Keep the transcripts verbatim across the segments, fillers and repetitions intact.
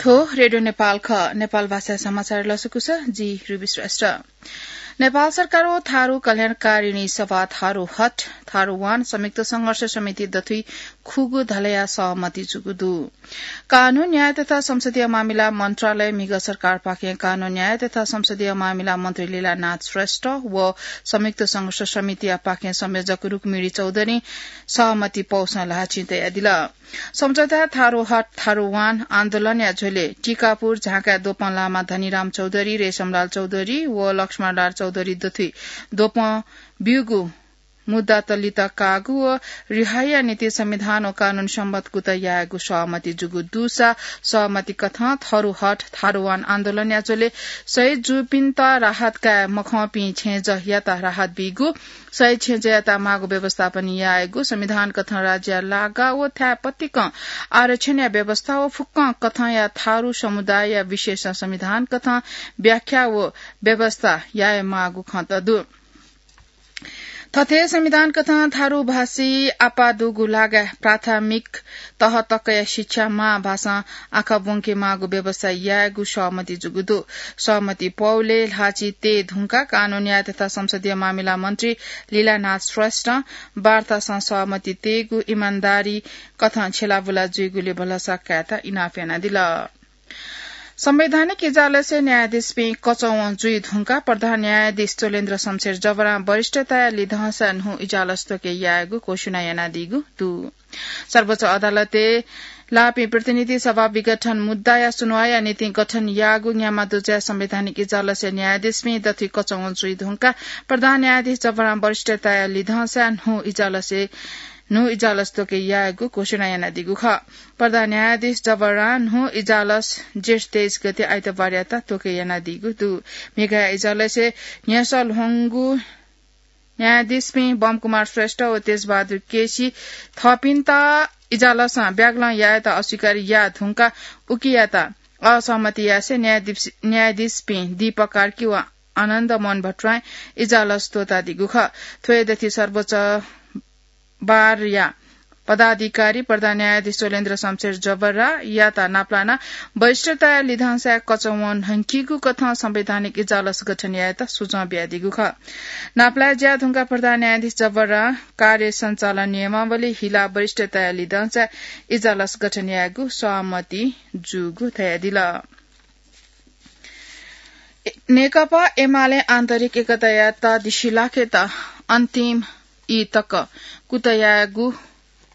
थ्व रेडियो नेपाल खः। नेपाल भाषा समाचार लसकुस, जि रुबी श्रेष्ठ। नेपाल सरकार व थारु कल्याणकारिणी सभा थारु हट, थारु वान संयुक्त संघर्ष समिति दथुइ खुगू धलया सहमति जूगु दु। कानून, न्याय तथा संसदीय मामिला मन्त्रालय म्हिगः सरकारपाखें कानून, न्याय तथा संसदीय मामिला मन्त्री लीलानाथ श्रेष्ठ व संयुक्त संघर्ष समितियापाखें संयोजक रुक्मिणी चौधरी सहमति पौसं ल्हाःचिं तयादिल। सम्झौता थारु हट, थारु वान आन्दोलनया झ्वलय् टिकापुर झाँकाय् द्वपं लामा धनीराम चौधरी, रेशमलाल चौधरी व लक्ष्मणलाल चौधरी दथुइ द्वपं ब्यूगु मुद्दात लित काःगु व रिहाईया निंतिं संविधान व कानून सम्बत कुतः यायेगु सहमति जूगु दुसा सहमति कथं थारु हट, थारु वान आन्दोलनया झ्वलय् शहीद जूपिन्त राहत काये मखंपिं छेँजःयात राहत बीगु, शहीद छेँजःयात माःगु व्यवस्थापन यायेगु, संविधान कथं राज्यया लागा व थाय् पतिकं आरक्षणया व्यवस्था व फुक्कं कथंया थारु समुदायया विशेष संविधान कथं व्याख्या व व्यवस्था याये माःगु खँ दु। थथे संविधान कथं थारु भाषी आपाः दुगु लागाय् प्राथमिक तह तकया शिक्षा मां भाषां आखः ब्वंके माःगु व्यवस्था यायेगु सहमति जूगु दु। सहमति पौलय् ल्हाःचिं तये धुंकाः कानून, न्याय तथा संसदीय मामिला मन्त्री लीलानाथ श्रेष्ठं वार्तासं सहमति तयेगु इमानदारी कथं छ्यलाबुला जुइगुलिं भलसा कायेत इनाप यानादिल। संवैधानिक इजालसय् न्यायाधीशपिं कचवं जुइ धुंकाः प्रधान न्यायाधीश चोलेन्द्र शमशेर जबरां वरिष्ठताया लिधंसा न्हू इजालस त्वके यायेगु घोषणा यानादीगु दु। सर्वोच्च अदालतय् लाःपिं प्रतिनिधि सभा विघटन मुद्दाया सुनुवाइया निंतिं गठन याःगु न्याम्ह दुजःया संवैधानिक इजालसय् न्यायाधीशपिं दथुइ कचवं जुइ धुंकाः प्रधान न्यायाधीश जबरां वरिष्ठताया लिधंसा न्हू इजालसय् न्हू इजालस त्वके यायेगु घोषणा यानादीगु खः। प्रधान न्यायाधीश जबरां न्हू इजालस जेठ तेइस गते आइतबारयात त्वके यानादीगु दु। म्हिगःया इजालसय् न्ह्यसः ल्ह्वंगु न्यायाधीशपिं बमकुमार श्रेष्ठ व तेजबहादुर केसी थःपिन्त इजालसं ब्यागलं यायेत अस्वीकार याः धुंकाः उकियात असहमति यासें न्यायाधीश, न्यायाधीशपिं दीपक कार्की व आनन्द मोहन भट्टराईं इजालस त्वःतादीगु खः। थ्व हे दथुइ सर्वोच्च बारया पदाधिकारी प्रधान न्यायाधीश चोलेन्द्र शमशेर जबरायात नापलानाः वरिष्ठताया लिधंसाय् कचवं न्हंकीगु कथं संवैधानिक इजालस गठन यायेत सुझाव बियादीगु खः। नापलाये ज्या धुंकाः प्रधान न्यायाधीश जबरां कार्य सञ्चालन नियमावली हिलाः वरिष्ठताया लिधंसाय् इजालस गठन यायेगु सहमति जूगु धयादिल। नेकपा एमाले आन्तरिक एकतायात दिसिलाखेत अन्तिम ई तक कुतः यायेगु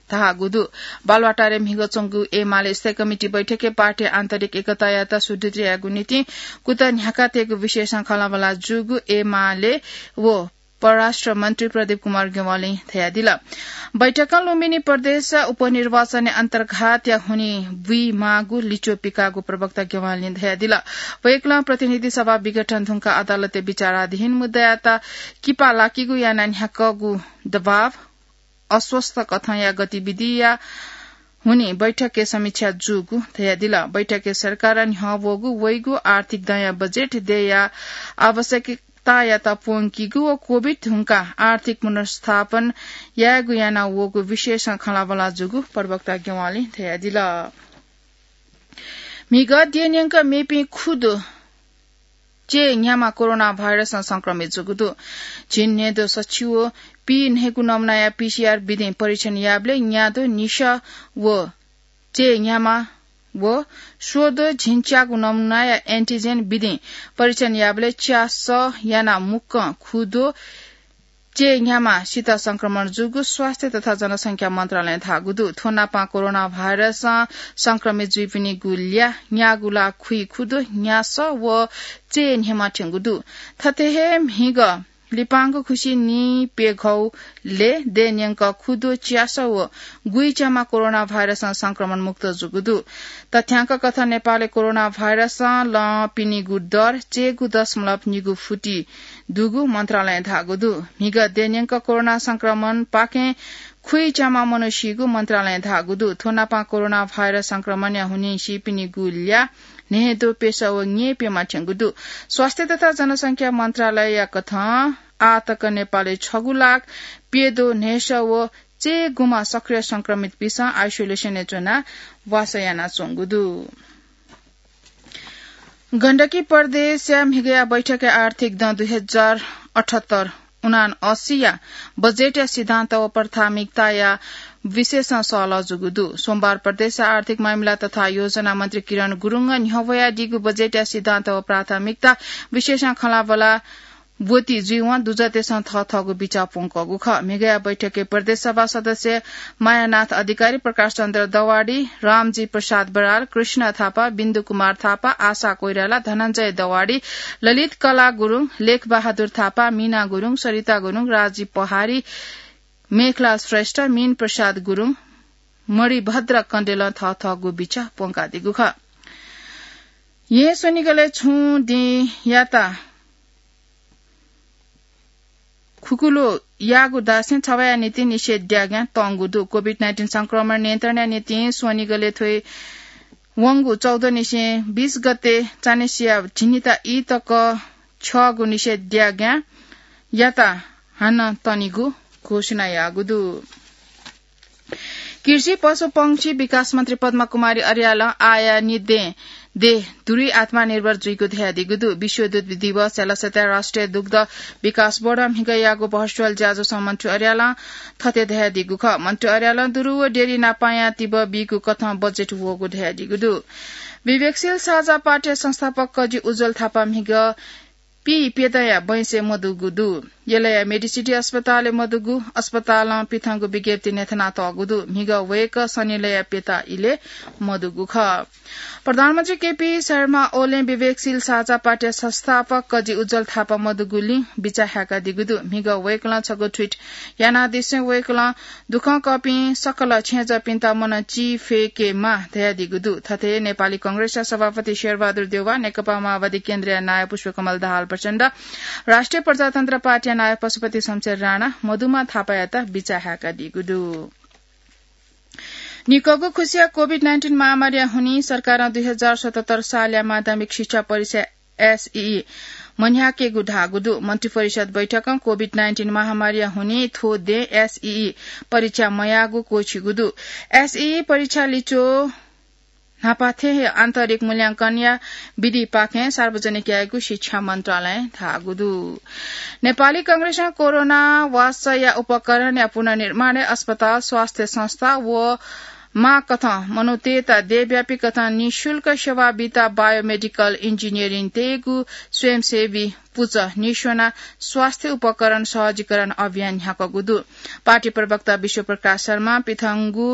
धाःगु दु। बालुवाटारय् म्हिगः च्वंगु एमाले स्थायी कमिटी बैठकय् पार्टी आन्तरिक एकतायात सुदृढ यायेगु निंतिं कुतः न्ह्याकातयेगु विषयसं खँल्हाबल्हा जूगु एमाले व परराष्ट्र मन्त्री प्रदीप कुमार ज्ञवालीं धयादिल। बैठकं लुम्बिनी प्रदेश उपनिर्वाचनय् अन्तर्घातया हुनिं बुइमाःगु लिच्वः पिकाःगु प्रवक्ता ज्ञवालीं धयादिल। वय्कलं प्रतिनिधि सभा विघटन धुंकाः अदालतय् विचाराधीन मुद्दायात किपा लाकीगु यानाः न्ह्याकःगु दबाव, अस्वस्थ कथंया गतिविधिया हुनिं बैठकय् समीक्षा जूगु धयादिल। बैठकय् सरकारं न्ह्यः वःगु वइगु आर्थिक दँया बजेट देय्या आवश्यकतायात प्वंकीगु व कोभिड धुंकाः आर्थिक पुनर्स्थापन यायेगु याना वःगु विषयसं खँल्हाबल्हा जूगु प्रवक्ता ज्ञवालीं धयादिल। म्हिगः द्यः न्यंक मेपिं खुदँ च्यय् न्ह्याम्ह कोरोना भाइरसं संक्रमित जूगु दु। झिंन्हय्द्वः सछि व पीन्हय्गु नमुनाया पीसीआर विधिं परीक्षण याःबलय् न्याद्वः निसः व च्यय् न्ह्याम्ह व स्वद्वः झिंच्यागु नमुनाया एन्टिजेन विधिं परीक्षण याःबलय् च्यासः यानाः मुक्कं खुद्वः च्यय् न्ह्याम्हसित संक्रमण जूगु स्वास्थ्य तथा जनसंख्या मन्त्रालयं धाःगु दु। थ्व नापं कोरोना भाइरसं संक्रमित जुइपिनिगु ल्याः न्यागू लाख खुइखुद्वः न्यासः व च्यय् न्ह्याम्ह थ्यंगु दु। थथे हे म्हिगः लिपांगु खुसि नीप्यघौलय् द्यः न्यंक खुद्वः च्यासः व गुइच्याम्ह कोरोना भाइरसं संक्रमण मुक्त जूगु दु। तथ्यांक कथं नेपालय् कोरोना भाइरसं लंपिनिगु दर च्यय्गू दशमलव निगू फुति दुगु मन्त्रालयं धाःगु दु। म्हिगः द्यः न्यंक कोरोना संक्रमणपाखें खुइच्याम्ह मनू सीगु मन्त्रालयं धाःगु दु। थ्व नापं कोरोना भाइरस संक्रमणया हुनिं सीपिनिगु ल्याः न्हय्द्वः प्यसः व न्यय्प्यम्ह थ्यंगु दु। स्वास्थ्य तथा जनसंख्या मन्त्रालयया कथं आःतक नेपालय् छगू लाख प्यद्वः न्हय्सः व च्यय्गूम्ह सक्रिय संक्रमितपिन्सं आइसोलेसनय् च्वनाः वासः यानाच्वंगु दु। गण्डकी प्रदेशया म्हिगया बैठकय् आर्थिक दँ दुई हजार अठहत्तर उनान्असीया बजेटया सिद्धान्त व प्राथमिकताया विशेषं सहलह जूगु दु। सोमबार प्रदेशया आर्थिक मामिला तथा योजना मन्त्री किरण गुरुङं न्ह्यवयादीगु बजेटया सिद्धान्त व प्राथमिकता विशेषं खँल्हाबल्हा ब्वति जुइवं दुजःतेसं थःथःगु बिचाः प्वंकःगु खः। म्हिगया बैठकय् प्रदेश सभा सदस्य मायानाथ अधिकारी, प्रकाश चन्द्र दवाडी, रामजी प्रसाद बराल, कृष्ण थापा, बिन्दु कुमार थापा, आशा कोइराला, धनञ्जय दवाडी, ललित कला गुरुङ, लेख बहादुर थापा, मीना गुरुङ, सरिता गुरुङ, राजी पहाडी, मेखला श्रेष्ठ, मीन प्रसाद गुरुङ, मणिभद्र कण्डेलं थःथःगु बिचाः प्वंकादीगु खः। येँ स्वनिगलय् छुं दिं याता खुकुलो याःगु धासें छवाया निंतिं निषेधाज्ञा तंगु दु। कोभिड नाइन्टिन संक्रमण नियन्त्रणया निंतिं स्वनिगलय् थ्व वंगु चौध निसें बीस गते चान्हय्सिया झिंनिता ई तक छ्यःगु निषेधाज्ञा याता हानं तनिगु घोषणा याःगु दु। कृषि पशुपंक्षी विकास मन्त्री पद्मा कुमारी अर्यालं आःया निंतिं देश दुरुइ आत्मनिर्भर जुइगु धयादीगु दु। विश्व दुग्ध दिवसया लसताय् राष्ट्रिय दुग्ध विकास बोर्डं म्हिगः याःगु भर्चुअल ज्याझ्वलय् मन्त्री अर्यालं थथे धयादीगु खः। मन्त्री अर्यालं दुरु व डेरी नापायां तिबः बीगु कथं बजेट वःगु धयादीगु दु। विवेकशील साझा पार्टीया संस्थापक कजि उज्ज्वल थापा म्हिगः पीप्यदँया बैंसय् मदुगु दु। यलया मेडिसिटी अस्पतालय् मदुगु अस्पतालं पिथंगु विज्ञप्ति न्ह्यथनातःगु दु। म्हिगः वय्कः शनिलया प्यता इलय् मदुगु खः। प्रधानमन्त्री केपी शर्मा ओलीं विवेकशील साझा पार्टीया संस्थापक कजि उज्ज्वल थापा मदुगुलिं बिचाः हाय्कादीगु दु। म्हिगः वय्कलं छगू ट्वीट यानादिसें वय्कलं दुःखं कःपिं सकल छेँजःपिन्त मनं चिफय्केमाः धयादीगु दु। थथे नेपाली कांग्रेसया सभापति शेरबहादुर देउवा, नेकपा माओवादी केन्द्रया नायः पुष्पकमल दाहाल प्रचण्ड, राष्ट्रिय प्रजातन्त्र पार्टीया नायः पशुपति शमशेर राणा मदुम्ह थापायात बिचाः हाय्कादीगु दु। निकःगु खुसिया कोभिड नाइन्टिन महामारीया हुनिं सरकारं दुई हजार सतहत्तर सालया माध्यमिक शिक्षा परीक्षा एसईई मन्ह्याकेगु धाःगु दु। मन्त्रिपरिषद बैठकं कोभिड नाइन्टिन महामारीया हुनिं थ्व दँय् एसईई परीक्षा मयाःगु क्वःछिगु दु। एसईई परीक्षा लिच्वः न्हापा थें हे आन्तरिक मूल्यांकनया विधिपाखें सार्वजनिक यायेगु शिक्षा मन्त्रालयं धाःगु दु। नेपाली कांग्रेसं कोरोना वासया उपकरणया पुनर्निर्माणय् अस्पताल, स्वास्थ्य संस्था व माःकथं मनूतय्त देशव्यापी कथं निशुल्क सेवा बीत बायोमेडिकल इन्जिनियरिङ तयेगु स्वयंसेवी पुचः निस्वनाः स्वास्थ्य उपकरण सहजीकरण अभियान न्ह्याकूगु दु। पार्टी प्रवक्ता विश्वप्रकाश शर्मां पिथंगु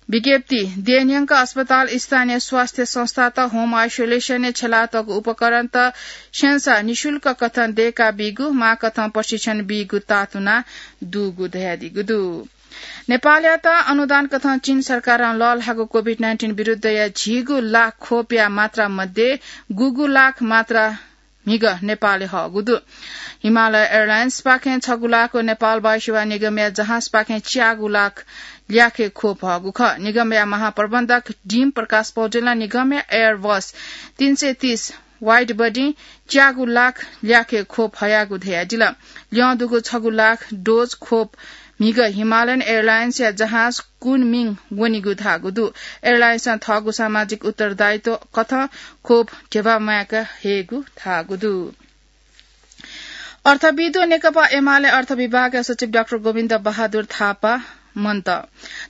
विज्ञप्ति देय् न्यंक अस्पताल, स्थानीय स्वास्थ्य संस्थात होम आइसोलेसनय् छ्यलातःगु उपकरणत स्यंसाः निशुल्क कथं दय्काबीगु, माःकथं प्रशिक्षण बीगु तातुना दुगु धयादीगु दु। नेपालयात अनुदान कथं चीन सरकारं लःल्हाःगु कोभिड नाइन्टिन विरुद्धया झिगू लाख खोपया मात्रा मध्ये गुगू लाख मात्रा म्हिगः नेपालय् हःगु दु। हिमालय एयरलाइन्सपाखें छगू लाख व नेपाल वायुसेवा निगमया जहाजपाखें च्यागू लाख ल्याखे खोप हःगु खः। निगमया महाप्रबन्धक डीम प्रकाश पौडेलं निगमया एयरबस तीन सय तीस वाइड बडी च्यागू लाख ल्याखे खोप हयागु धयादिल। ल्यं दुगु छगू लाख डोज खोप म्हिगः हिमालयन एयरलाइन्सया जहाज कुनमिङ वनीगु धाःगु दु। एयरलाइन्सं थःगु सामाजिक उत्तरदायित्व कथं खोप ध्यबा म्वायेका हयेगु धाःगु दु। अर्थविद् व नेकपा एमाले अर्थ विभागया सचिव डाक्टर गोविन्द बहादुर थापा मन्त।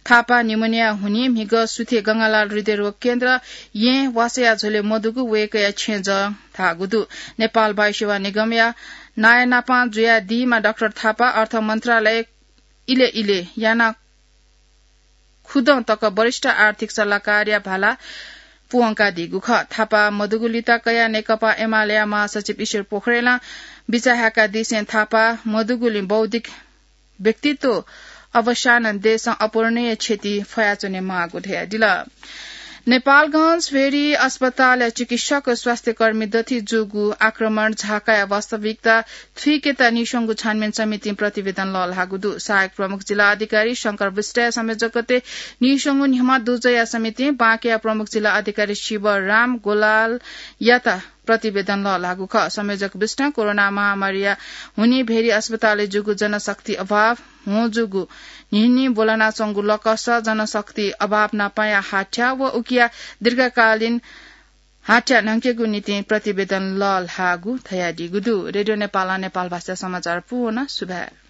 थापा निमोनिया हुनिं म्हिगः सुथे गंगालाल हृदयरोग केन्द्र येँ वासया झ्वलय् मदुगु वय्कःया छेँजः धाःगु दु। नेपाल वायुसेवा निगमया नायःनापां जुयादीम्ह डाक्टर थापा अर्थ मन्त्रालय इले इले यानाः खुदँ तक वरिष्ठ आर्थिक सल्लाहकारया भाला प्वंकादीगु खः। थापा मदुगु लिता कयाः नेकपा एमालेया महासचिव ईश्वर पोखरेलं बिचाः हाय्कादीसें थापा मदुगुलिं बौद्धिक व्यक्तित्व अवसानं देशं अपूरणीय क्षति फयाच्वनेमाःगु धयादिल। नेपालगंज भेरी अस्पतालया चिकित्सक व स्वास्थ्यकर्मी दथुइ जूगु आक्रमण झाकाया वास्तविकता थुइकेत नीस्वंगू छानबिन समितिं प्रतिवेदन लःल्हाःगु दु। सहायक प्रमुख जिल्ला अधिकारी शंकर विष्टया संयोजकत्वय् नीस्वंगू न्ह्यम्ह दुजःया समितिं बाँकेया प्रमुख जिल्ला अधिकारी शिवराम गोलालयात प्रतिवेदन लःल्हाःगु खः। संयोजक विष्टं कोरोना महामारीया हुनिं भेरी अस्पतालय् जूगु जनशक्ति अभाव, हुँ जूगु न्हिन्हि ब्वलनाच्वंगु लकस, जनशक्ति अभाव नापंया हाथ्याः व उकिया दीर्घकालीन हाथ्या न्हंकेगु निंतिं प्रतिवेदन लःल्हाःगु धयादीगु दु। रेडियो नेपालं नेपाल भाषा समाचार पूवना। सुभाय्।